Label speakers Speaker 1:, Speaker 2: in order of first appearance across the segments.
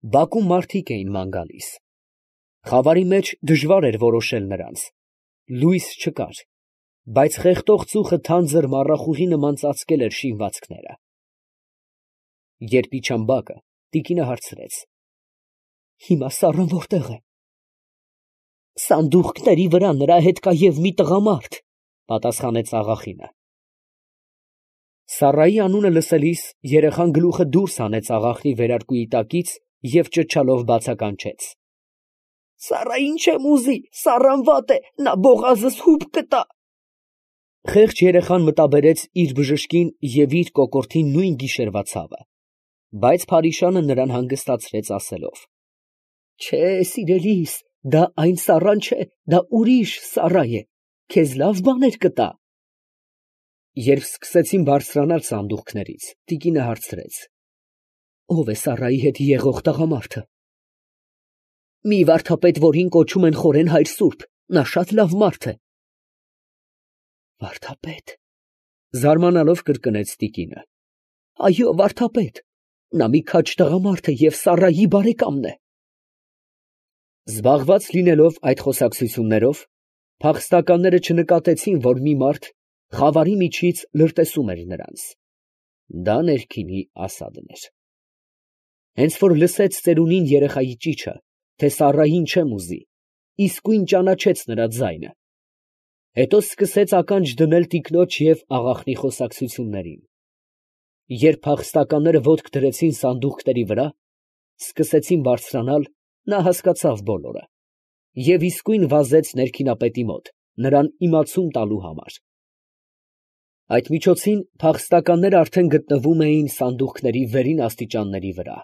Speaker 1: Բակում մարդիկ էին ման գալիս։ Խավարի մեջ դժվար էր որոշել նրանց. լույս չկար, բայց խեղդող ծուխը թանձր մառախուղի նման ծածկել էր շինվածքները։ Երբ իջան բակը, տիկինը հարցրեց. «Հիմա սառն որտե՞ղ է»։ «Սանդուղքների վրա նրա հետ կա և մի տղամարդ», պատասխանեց աղախինը։ Սառայի անունը լսելիս երեխան գլուխը դուրս հանեց աղախնի վերարկուի տակից և ճչալով բացականչեց. «Սառա, ինչ եմ ուզի, սառան վատ է, նա բողազս հուպ կտա»։ Խեղճ երեխան մտաբերեց իր բժշկին և իր կոկորդին նույն գիշերվա ցավը, բայց փարիշանը նրան հանգստացրեց ասելով. «Չէ, սիրելիս, դա այն սառան չէ, դա ուրիշ սառա է, քեզ լավ բաներ կտա»։ Երբ սկսեցին բարձրանալ սանդուղքներից, տիկինը հարցրեց. «Ո՞վ է Սառայի հետ եղող տղամարդը»։ «Մի վարդապետ, որին կոչում են Խորեն հայր սուրբ, նա շատ լավ մարդ է»։ «Վարդապետ», զարմանալով կրկնեց տիկինը։ «Այո, վարդապետ, նա մի քաջ տղամարդ է և Սառայի բարեկամն է»։ Զբաղված լինելով այդ խոսակցություններով, փախստականները չնկատեցին, որ մի մարդ խավարի միջից լրտեսում էր նրանց։ Դա ներքինի Ասադն էր։ Հենց որ լսեց ծերունին երեխայի ճիչը, թե Սառային չեմ ուզի, իսկույն ճանաչեց նրա ձայնը։ Հետո սկսեց ականջ դնել տիկնոջ և աղախնի խոսակցություններին։ Երբ փախստականները ոտք դրեցին սանդուղքների վրա, սկսեցին բարձրանալ, նա հասկացավ բոլորը և իսկույն վազեց ներքինապետի մոտ, նրան իմացում տալու համար։ Այդ միջոցին փախստականները արդեն գտնվում էին սանդուղքների վերին աստիճանների վրա։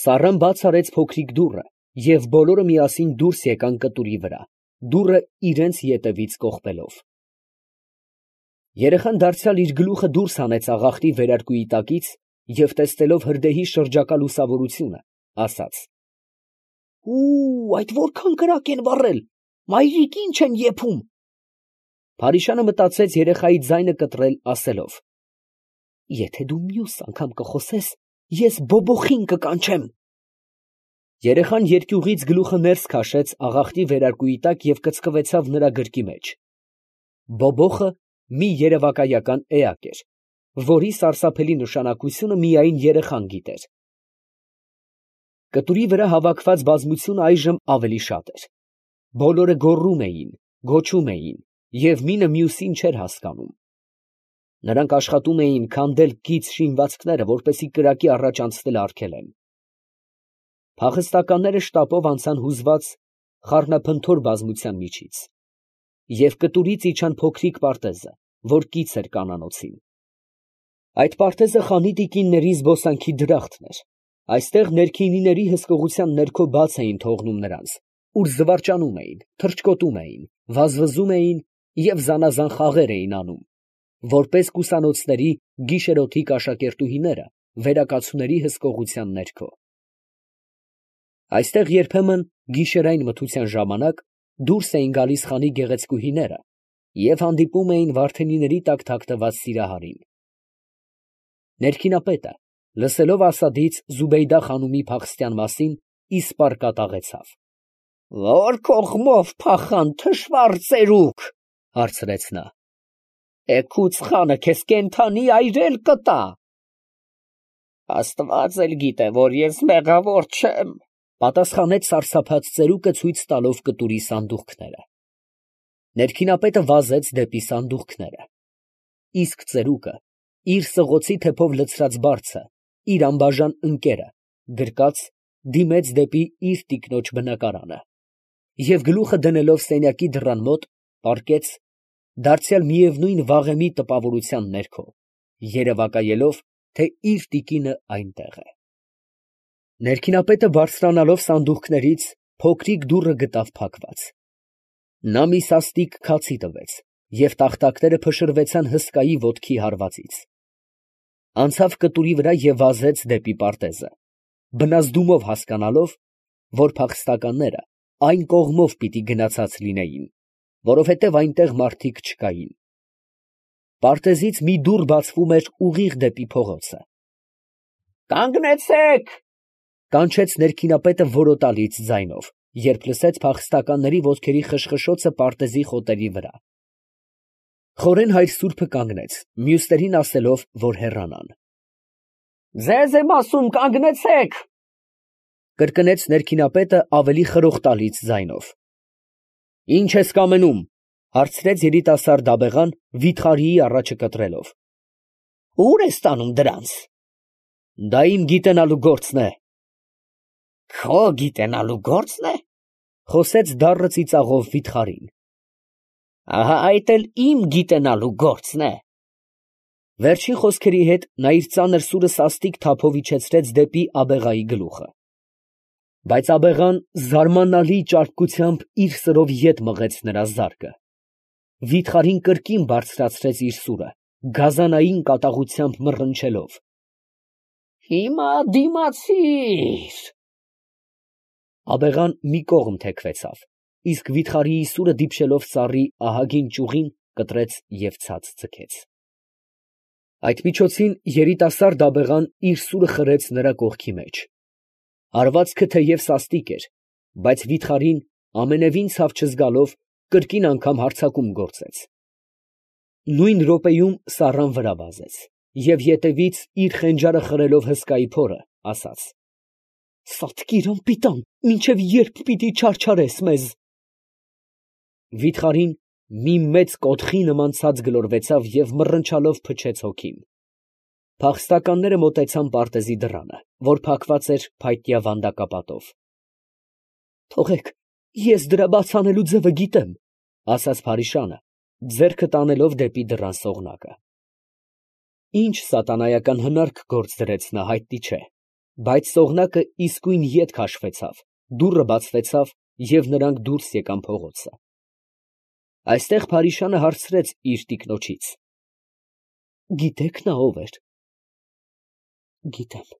Speaker 1: Սառան բաց արեց փոքրիկ դուռը, և բոլորը միասին դուրս եկան կտուրի վրա, դուռը իրենց ետևից կողպելով։ Երեխան դարձյալ իր գլուխը դուրս հանեց աղախնի վերարկուի տակից և տեսնելով հրդեհի շրջակա լուսավորությունը, ասաց. «Այդ որքան կրակ են վառել, մայրիկ, ինչ են եփում»։ Փարիշանը մտածեց երեխայի ձայնը կտրել, ասելով. «Եթե դու մյուս անգամ կխոսես, ես բոբոխին կկանչեմ»։ Երեխան երկյուղից գլուխը ներս քաշեց աղախնի վերարկուի տակ և կծկվեցավ նրա գրկի մեջ։ Բոբոխը մի երևակայական էակ էր, որի սարսափելի նշանակությունը միայն երեխան գիտեր։ Կտուրի վրա հավաքված բազմությունը այժմ ավելի շատ էր։ Բոլորը գոռում էին, գոչում էին և մինը մյուսին չէր հասկանում։ Նրանք աշխատում էին քանդել կից շինվածքները, որպեսզի կրակի առաջ անցնելը արգելեն։ Փախստականները շտապով անցան հուզված խառնափնթոր բազմության միջից և կտուրից իջան փոքրիկ պարտեզը, որ կից էր կանանոցին։ Այդ պարտեզը խանի տիկինների զբոսանքի դրախտն էր։ Այստեղ ներքինիների հսկողության ներքո բաց էին թողնում նրանց, ուր զվարճանում էին, թռչկոտում էին, վազվզում էին և զանազան խաղեր էին անում, որպես կուսանոցների գիշերօթիկ աշակերտուհիները վերակացուների հսկողության ներքո։ Այստեղ երբեմն գիշերային մթության ժամանակ դուրս էին գալիս խանի գեղեցկուհիները և հանդիպում էին վարդենիների տակ թաքնված սիրահարին։ Ներքինապետը, լսելով Ասադից Զուբեյդա խանումի փախստյան մասին, իսպառ կատաղեցավ։ «Ո՞ր կողմով փախան, թշվառ ծերուկ», հարցրեց նա։ «Էգուց խանը քեզ կենդանի այրել կտա»։ «Աստված էլ գիտե, որ ես մեղավոր չեմ», պատասխանեց սարսափած ծերուկը ցույց տալով կտուրի սանդուղքները։ Ներքինապետը վազեց դեպի սանդուղքները։ Իսկ ծերուկը իր սղոցի թեփով լցրած բարձը, իր անբաժան ընկերը, գրկած, դիմեց դեպի իր տիկնոջ բնակարանը և գլուխը դնելով սենյակի դռան մոտ, պառկեց, դարձյալ միևնույն վաղեմի տպավորության ներքո, երևակայելով, թե իր տիկինը այնտեղ է։ Ներքինապետը բարձրանալով սանդուղքներից փոքրիկ դուռը գտավ փակված։ Նա մի սաստիկ քացի տվեց և տախտակները փշրվեցան հսկայի ոտքի հարվածից։ Անցավ կտուրի վրա և վազեց դեպի պարտեզը, բնազդումով հասկանալով, որ փախստականները այն կողմով պիտի գնացած լինեին, որովհետև այնտեղ մարդիկ չկային։ Պարտեզից մի դուռ բացվում էր ուղիղ դեպի փողոցը։ «Կանգնեցե՛ք, Կանչեց ներքինապետը որոտալից ձայնով, երբ լսեց փախստականների ոտքերի խշխշոցը պարտեզի խոտերի վրա։ Խորեն հայր սուրբը կանգնեց, մյուսներին ասելով, որ հեռանան։ «Ձեզ եմ ասում, կանգնեցեք», կրկնեց ներքինապետը ավելի խրոխտալից ձայնով։ «Ի՞նչ ես կամենում», հարցրեց երիտասարդ աբեղան վիթխարիի առաջը կտրելով։ «Ո՞ւր ես տանում դրանց»։ «Դա իմ գիտենալու գործն է»։ «Քո գիտենալու գործն է», խոսեց դառը ծիծաղով վիթխարին։ «Ահա այդ էլ իմ գիտենալու գործն է»։ Վերջին խոսքերի հետ նա իր ծանր սուրը սաստիկ թափով իջեցրեց դեպի աբեղայի գլուխը։ Բայց աբեղան զարմանալի ճարպկությամբ իր սրով ետ մղեց նրա զարկը։ Վիթխարին կրկին բարձրացրեց իր սուրը, գազանային կատաղությամբ մռնչելով։ «Հիմա դիմացիր»։ Աբեղան մի կողմ թեքվեցավ, իսկ վիթխարիի սուրը դիպչելով ծառի ահագին ճյուղին կտրեց և ցած ձգեց։ Այդ միջոցին երիտասարդ աբեղան իր սուրը խրեց նրա կողքի մեջ։ Հարվածքը թեև սաստիկ էր, բայց վիթխարին ամենևին ցավ չզգալով կրկին անգամ հարձակում գործեց։ Նույն րոպեում սառան վրա վազեց և ետևից իր խենջարը խրելով հսկայի փորը, ասաց. «Սատկիր անպիտան, մինչև ե՞րբ պիտի չարչարես մեզ»։ Վիթխարին մի մեծ կոթխի նման ցած գլորվեցավ և մռնչալով փչեց հոգին։ Փախստականները մոտեցան պարտեզի դռանը, որ փակված էր փայտյա վանդակապատով։ «Թողեք, ես դրա բաց անելու ձևը գիտեմ», ասաց Փարիշանը, ձեռքը տանելով դեպի դռան սողնակը։ Ինչ սատանայական հնարք գործ դրեց նա, հայտնի չէ, բայց սողնակը իսկույն ետ քաշվեցավ, դուռը բացվեցավ և նրանք դուրս եկան փողոցը։ Այստեղ Փարիշանը հարցրեց իր տիկնոջից. «Գիտեք նա ով էր»։ «Գիտեմ»,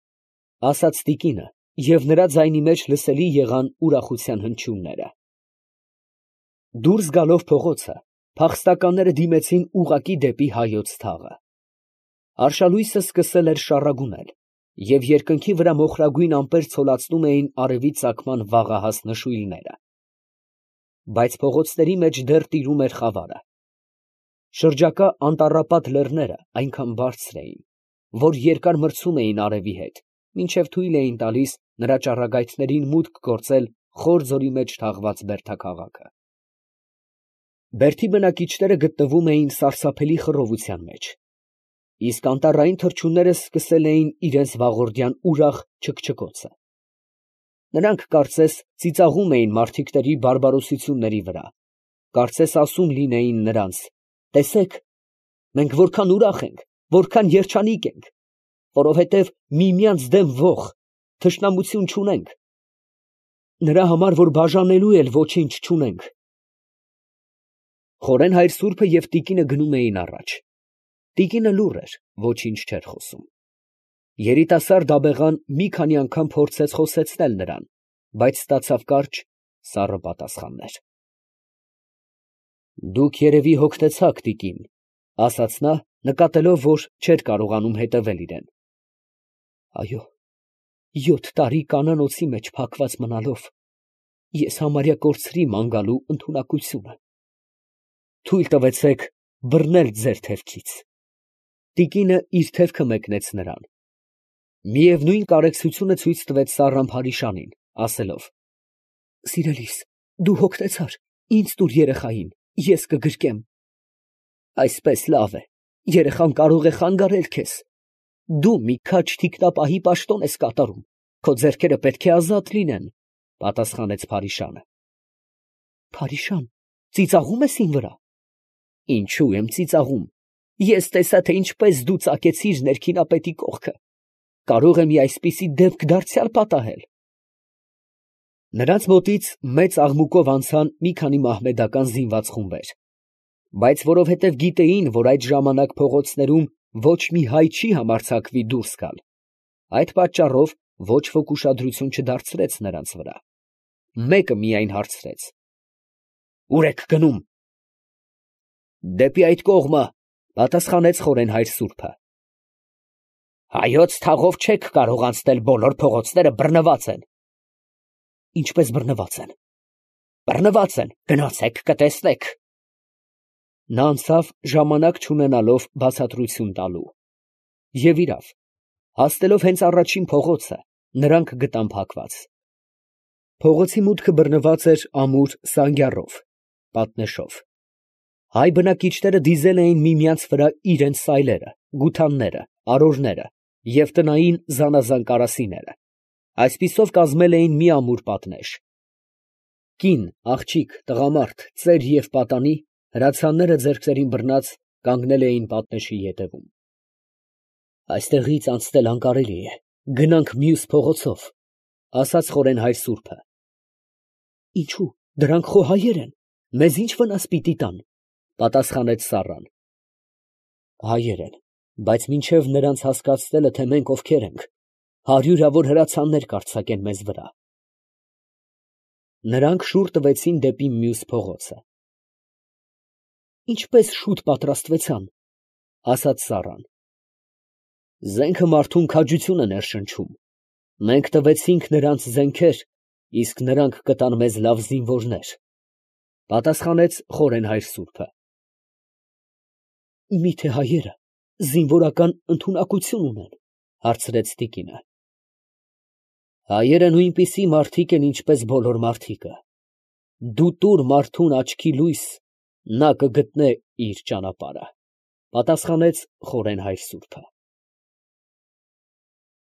Speaker 1: ասաց տիկինը, և նրա ձայնի մեջ լսելի եղան ուրախության հնչյունները։ Դուրս գալով փողոցը, փախստականները դիմեցին ուղղակի դեպի հայոց թաղը։ Արշալույսը սկսել էր շառագունել, և երկնքի վրա մոխրագույն ամպեր ցոլացնում էին արևի ծագման վաղահաս նշույլները։ Բայց փողոցների մեջ դեռ տիրում էր խավարը։ Շրջակա անտառապատ լեռները այնքան բարձր էին, որ երկար մրցում էին արևի հետ, մինչև թույլ էին տալիս նրա ճառագայթներին մուտք գործել խոր ձորի մեջ թաղված բերդաքաղաքը։ Բերդի բնակիչները գտնվում էին սարսափելի խռովության մեջ, իսկ անտառային թռչունները սկսել էին իրենց վաղորդյան ուրախ չքչքոցը։ Նրանք կարծես ծիծաղում էին մարդիկների բարբարոսությունների վրա, կարծես ասում լինեին նրանց. «Տեսեք, մենք որքան ուրախ ենք, որքան երջանիկ ենք, որովհետև միմյանց դեմ ոխ, թշնամություն չունենք, նրա համար, որ բաժանելու էլ ոչինչ չունենք»։ Խորեն հայր սուրբը և տիկինը գնում էին առաջ։ Տիկինը լուռ էր, ոչինչ չէր խոսում։ Երիտասարդ աբեղան մի քանի անգամ փորձեց խոսեցնել նրան, բայց ստացավ կարճ, սառը պատասխաններ։ «Դուք երևի հոգնեցաք, տիկին», ասաց նա, նկատելով, որ չէր կարողանում հետևել իրան։ «Այո, 7 տարի կանանոցի մեջ փակված մնալով, ես համարյա կորցրի ման գալու ընդունակությունը։ Թույլ տվեցեք բռնել ձեր թևքից»։ Տիկինը իր թևքը մեկնեց նրան։ Միևնույն կարեկցությունը ցույց տվեց սառն Փարիշանին, ասելով. «Սիրելիս, դու հոգնեցար, ինձ տուր երեխային, ես կգրկեմ»։ «Այսպես լավ է, երեխան կարող է խանգարել քեզ։ Դու մի քաջ թիկնապահի պաշտոն ես կատարում, քո ձեռքերը պետք է ազատ լինեն», պատասխանեց Փարիշանը։ «Փարիշան, ծիծաղում ես իմ վրա»։ «Ինչո՞ւ եմ ծիծաղում, ես տեսա, թե ինչպես դու ծակեցիր ներքինապետի կողքը, կարող եմ այսպիսի դեպք դարձյալ պատահել»։ Նրանց մոտից մեծ աղմուկով անցան մի քանի մահմեդական զինված խումբեր, բայց որովհետև գիտեին, որ այդ ժամանակ փողոցներում ոչ մի հայ չի համարձակվի դուրս գալ, այդ պատճառով ոչ ոք ուշադրություն չդարձրեց նրանց վրա։ Մեկը միայն հարցրեց. «Ո՞ւր եք գնում»։ «Դեպի այդ կողմը», պատասխանեց խորեն հայր սուրբը։ Հայոց թաղով չեք կարող անցնել, բոլոր փողոցները բռնված են։ Ինչպես բռնված են։ Բռնված են, գնացեք կտեսնեք։ Նա անցավ ժամանակ չունենալով բացատրություն տալու։ Եվ իրավ, հասնելով հենց առաջին փողոցը, նրանք գտան փակված։ Փողոցի մուտքը բռնված էր ամուր սանգյառով, պատնեշով։ Հայ բնակիչները դիզել էին միմյանց վրա իրենց սայլերը, գութանները, արորները և տնային զանազան կարասիները, այսպիսով կազմել էին մի ամուր պատնեշ։ Կին, աղջիկ, տղամարդ, ծեր և պատանի, հրացանները ձեռքներին բռնած, կանգնել էին պատնեշի ետևում։ Այստեղից անցնել անկարելի է, գնանք մյուս փողոցով, ասաց խորեն հայր սուրբը։ Ինչու, դրանք խո հայեր են, մեզ ինչ վնաս պիտի տան, պատասխանեց Սառան։ Հայեր են, բայց մինչև նրանց հասկացնելը, թե մենք ովքեր ենք, հարյուրավոր հրացաններ կարձակեն մեզ վրա։ Նրանք շուռ տվեցին դեպի մյուս փողոցը։ Ինչպես շուտ պատրաստվեցան, ասաց Սառան։ Զենքը մարդուն քաջություն է ներշնչում։ Մենք տվեցինք նրանց զենքեր, իսկ նրանք կտան մեզ լավ զինվորներ, պատասխանեց խորեն հայր սուրբը։ Միթե հայերը զինվորական ընդունակություն ունեն, հարցրեց տիկինը։ Հայերը նույնպիսի մարդիկ են, ինչպես բոլոր մարդիկը։ Դու տուր մարդուն աչքի լույս, նա կգտնե իր ճանապարհը, պատասխանեց խորեն հայր սուրբը։